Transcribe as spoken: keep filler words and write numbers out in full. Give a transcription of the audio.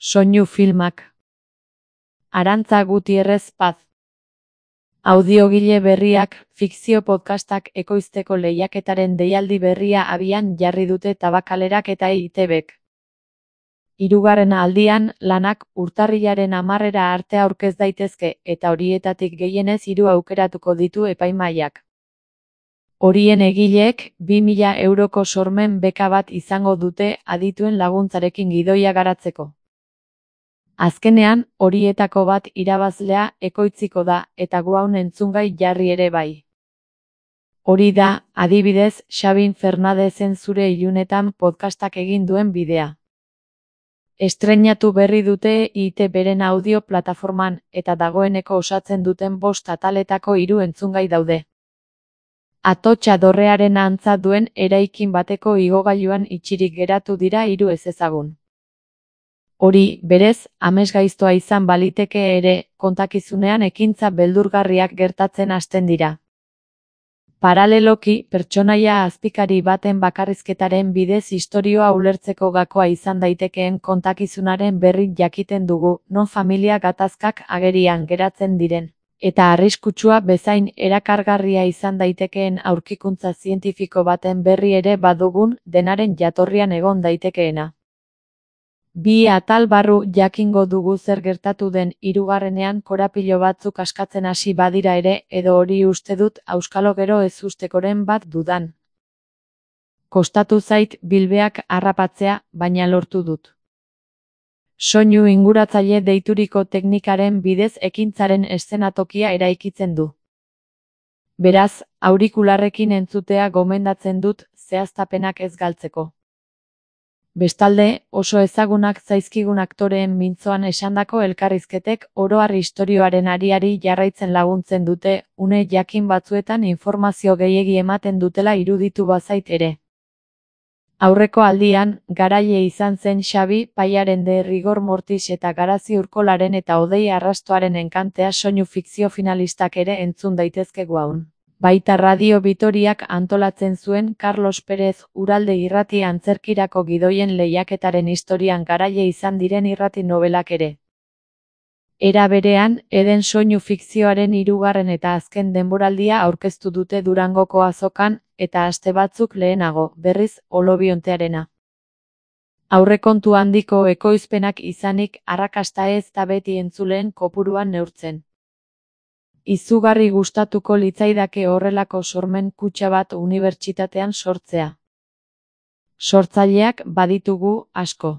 Soinu filmak. Arantza Gutierrez Paz. Audiogile berriak, fikzio podcastak ekoizteko lehiaketaren deialdi berria abian jarri dute Tabakalerak eta E I Te Bek. Hirugarren aldian, lanak urtarrilaren hamarrera arte aurkez daitezke, eta horietatik gehienez hiru aukeratuko ditu epaimahaiak. Horien egileek, bi mila euroko sormen beka bat izango dute adituen laguntzarekin gidoia garatzeko. Azkenean, horietako bat irabazlea ekoitziko da, eta guaun entzungai jarri ere bai. Hori da, adibidez, Xabin Fernadezen Zure Ilunetan podcastak egin duen bidea. Estreinatu berri dute E I Te Beren audio plataforman, eta dagoeneko osatzen duten bost ataletako hiru entzungai daude. Atotxa dorrearen antza duen eraikin bateko igogailuan itxirik geratu dira hiru ezezagun. Hori, berez, amesgaiztoa izan baliteke ere, kontakizunean ekintza beldurgarriak gertatzen hasten dira. Paraleloki, pertsonaia azpikari baten bakarrizketaren bidez istorioa ulertzeko gakoa izan daitekeen kontakizunaren berri jakiten dugu, non familia gatazkak agerian geratzen diren, eta arriskutsua bezain erakargarria izan daitekeen aurkikuntza zientifiko baten berri ere badugun, denaren jatorrian egon daitekeena. Bi atal barru jakingo dugu zer gertatu den hirugarrenean korapilo batzuk askatzen hasi badira ere, edo hori uste dut auskalo gero ez ustekoren bat dudan. Kostatu zait bilbeak harrapatzea, baina lortu dut. Soinu inguratzaile deituriko teknikaren bidez ekintzaren eszenatokia eraikitzen du. Beraz, aurikularrekin entzutea gomendatzen dut, zehaztapenak ez galtzeko. Bestalde, oso ezagunak zaizkigun aktoreen mintzoan esandako elkarrizketek oro har istorioaren ariari jarraitzen laguntzen dute, une jakin batzuetan informazio gehiegi ematen dutela iruditu bazait ere. Aurreko aldian, garaile izan zen Xabi Paiaren de Rigor Mortis eta Garazi Urkolaren eta Odei Arrastoaren enkantea soinu fikzio finalistak ere entzun daitezke guaun. Baita Radio Vitoriak antolatzen zuen Carlos Pérez Uralde irrati antzerkirako gidoien lehiaketaren historian garaile izan diren irrati nobelak ere. Era berean, Eden soinu fikzioaren hirugarren eta azken denboraldia aurkeztu dute Durangoko azokan, eta aste batzuk lehenago, berriz, Olobiontearena. Aurrekontu handiko ekoizpenak izanik, arrakasta ez da beti entzuleen kopuruan neurtzen. Izugarri gustatuko litzaidake horrelako sormen kutxa bat unibertsitatean sortzea. Sortzaileak baditugu asko.